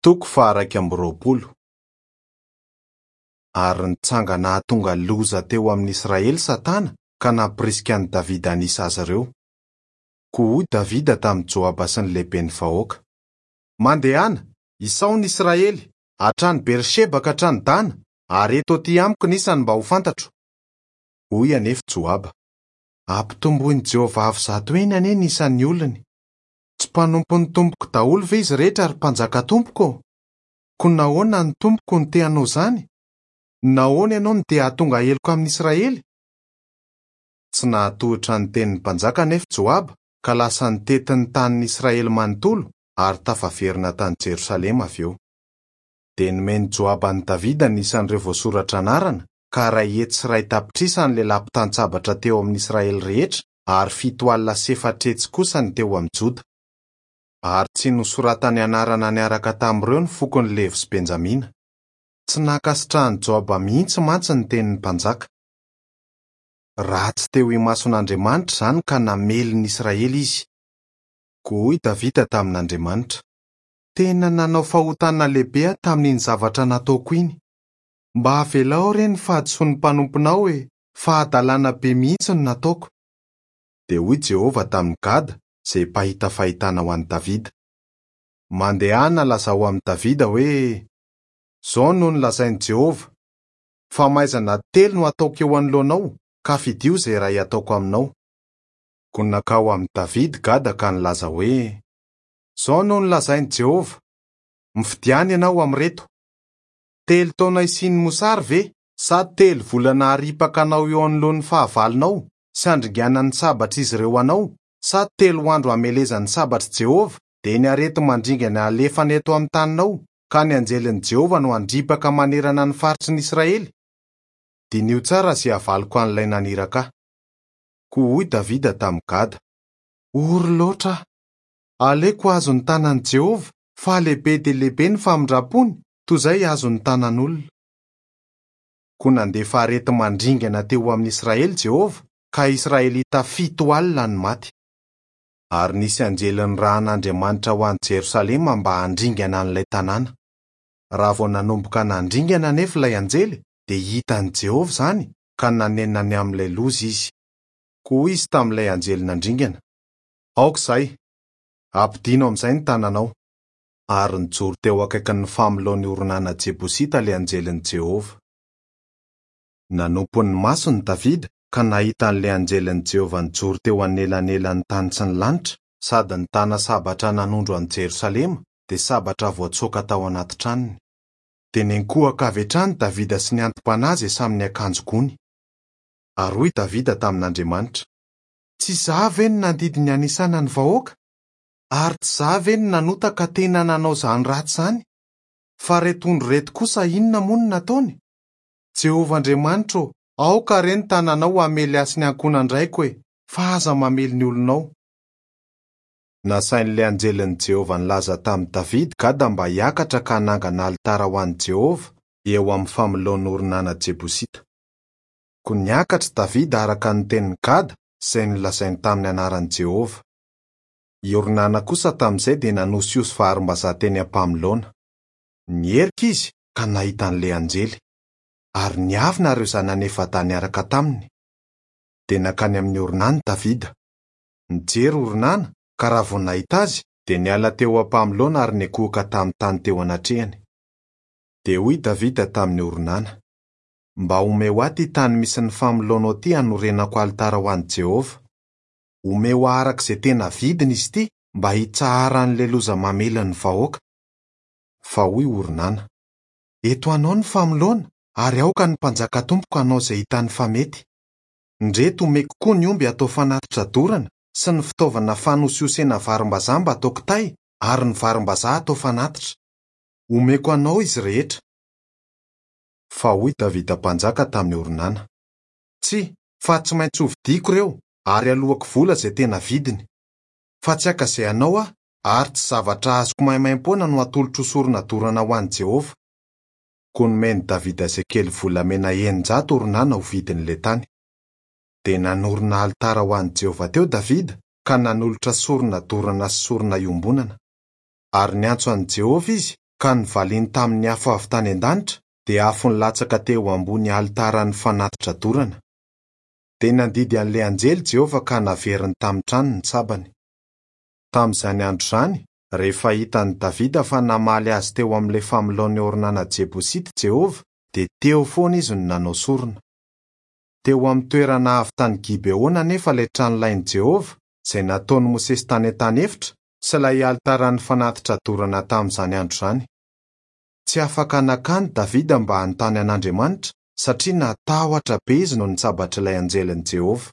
Toko faha-21. Ary nitsangana hahatonga loza teo amin'ny Israely Satana ka nampirisika an'i Davida hanisa azy ireo. Koa hoy Davida tamin'i Joaba sy ny lehiben'ny vahoaka, Mandehana, isao ny Israely, hatrany Beri-sheba ka hatrany Dana, ary ento atỳ amiko ny isany mba ho fantatro. Hoy anefa Joaba, Ampitomboin'i Jehovah avo zato heny anie ny isan'ny olony. Tsy mpanompon'ny tompoko daholo ve izy rehetra ry mpanjaka tompoko ô? Koa nahoana ny tompoko no te hanao izany? Nahoana ianao no te hahatonga heloka amin'i Israely? Tsy nahatohitra ny tenin'ny mpanjaka anefa Joaba ka lasa nitety ny tanin'i Israely manontolo ary tafaverina tany Jerosalema avy eo. Dia nomen'i Joaba an'i Davida ny isan'ireo voasoratra anarana, ka 101,000 ny lehilahy mpitan-tsabatra teo amin'i Israely rehetra ary 470 kosa ny teo amin'i Joda. Ary tsy nosoratany anarana niaraka tamin'ireo ny fokon'i Levy sy Benjamina. Tsy nankasitrahan'i Joaba mihitsy mantsy ny tenin'ny mpanjaka. Ratsy teo imason'Andriamanitra izany ka namely ny Israely izy. Koa hoy Davida tamin'Andriamanitra, Tena nanao fahotana lehibe aho tamin'iny zavatra nataoko iny. Mba avelao re ny fahadisoan'ny mpanomponao e, fa hadalana be mihitsy no nataoko. Dia hoy Jehovah tamin'i Gada, izay mpahita fahitana ho an'i Davida, Mandehana lazao amin'i Davida hoe, 'Izao no nolazain'i Jehovah, Famaizana telo no hataoko eo anoloanao, ka fidio izay iray hataoko aminao. Koa nankao amin'i Davida Gada ka nilaza hoe, Izao no nolazain'i Jehovah, 'Mifidiana ianao amin'ireto, Telo taona hisian'ny mosary ve, sa telo volana haripaka anao eo anoloan'ny fahavalonao sy handringanan'ny sabatr'izy ireo anao, sa telo andro hamelezan'ny sabatr'i Jehovah, dia ny areti-mandringana halefany eto amin'ny taninao, ka ny anjelin'i Jehovah no handripaka manerana ny faritry ny Israely? Diniho tsara izay havaliko an'ilay naniraka ahy. Koa hoy Davida tamin'i Gada, Ory loatra aho! Aleoko azon'ny tanan'i Jehovah, fa lehibe dia lehibe ny famindram-pony, toy izay azon'ny tanan'olona. Koa nandefa areti-mandringana teo amin'ny Israely Jehovah, ka Israelita 70 no maty. Ary nisy anjely nirahan'Andriamanitra ho any Jerosalema mba handringana an'ilay tanàna. Raha vao nanomboka nandringana anefa ilay anjely, dia hitan'i Jehovah izany, ka nanenina ny amin'ilay loza izy. Koa hoy izy tamin'ilay anjely nandringana, Aoka izay! Ampidino amin'izay ny tananao. Ary nijoro teo akaikin'ny famoloan'i Ornana Jebosita ilay anjelin'i Jehovah. Nanompo ny masony Davida ka nahita an'ilay anjelin'i Jehovah nijoro teo anelanelan'ny tany sy ny lanitra, sady nitana sabatra nanondro an'i Jerosalema, dia sabatra voatsoaka tao anaty tranony. Dia niankohoka avy hatrany Davida sy ny anti-panahy izay samy niakanjo gony. Ary hoy Davida tamin'Andriamanitra, Tsy izaho ve no nandidy ny hanisana ny vahoaka? Ary tsy izaho ve no nanota ka tena nanao izany ratsy izany? Fa ireto ondry ireto kosa inona moa no nataony? Jehovah Andriamanitra ô, aoka re ny tananao hamely ahy sy ny ankohonan-draiko e, fa aza mamely ny olonao. Nasain'ilay anjelin'i Jehovah nilaza tamin'i Davida Gada mba hiakatra ka hanangana alitara ho an'i Jehovah eo amin'ny famoloan'i Ornana Jebosita. Koa niakatra Davida araka ny tenin'i Gada izay nolazainy tamin'ny anaran'i Jehovah. I Ornana kosa tamin'izay dia nanosihosy varimbazaha teny am-pamoloana. Niherika izy ka nahita an'ilay anjely. Ary niavina ireo zanany efa-dahy niaraka taminy. Dia nankany amin'i Ornana Davida. Nijery Ornana, ka raha vao nahita azy, dia niala teo am-pamoloana ary niankohoka tamin'ny tany teo anatrehany. Dia hoy Davida tamin'i Ornana, Mba omeo ahy ity tany misy ny famoloanao ity hanorenako alitara ho an'i Jehovah. Omeo ahy araka izay tena vidiny izy ity mba hitsaharan'ilay loza mamely ny vahoaka. Fa hoy Ornana, Eto anao ny famoloana, ary aoka ny mpanjaka tompoko hanao izay hitany fa mety. Ndreto omeko koa ny omby hatao fanatitra dorana sy ny fitaovana fanosihosena varimbazaha mba hatao kitay ary ny varimbazaha hatao fanatitra. Omeko anao izy rehetra. Fa hoy Davida mpanjaka tamin'i Ornana, Tsia, fa tsy maintsy hovidiako ireo, ary haloako vola izay tena vidiny. Fa tsy haka izay anao aho, ary tsy zavatra azoko maimaimpoana no hatolotro ho sorona dorana ho an'i Jehovah. Koa nomen'i Davida sekely volamena 600 Ornana ho vidin'ilay tany. Dia nanorina alitara ho an'i Jehovah teo Davida, ka nanolotra sorona dorana sy sorona iombonana. Ary niantso an'i Jehovah izy. Ka novaliany tamin'ny afo avy tany an-danitra, dia afo nilatsaka teo ambony alitaran'ny fanatitra dorana. Dia nandidy an'ilay anjely Jehovah ka naveriny tamin'ny trano ny sabany. Tamin'izany andro izany, rehefa hitan'i Davida fa namaly azy teo amin'ilay famoloan'i Ornana Jebosita Jehovah, dia teo foana izy no nanao sorona. Teo amin'ny toerana avo tany Gibeona anefa ilay tranolain'i Jehovah, izay nataon'i Mosesy tany an-tany efitra, sy ilay alitaran'ny fanatitra dorana tamin'izany andro izany. Tsy afaka nankany Davida mba hanontany an'Andriamanitra, satria natahotra be izy noho ny tsabatr'ilay anjelin'i Jehovah.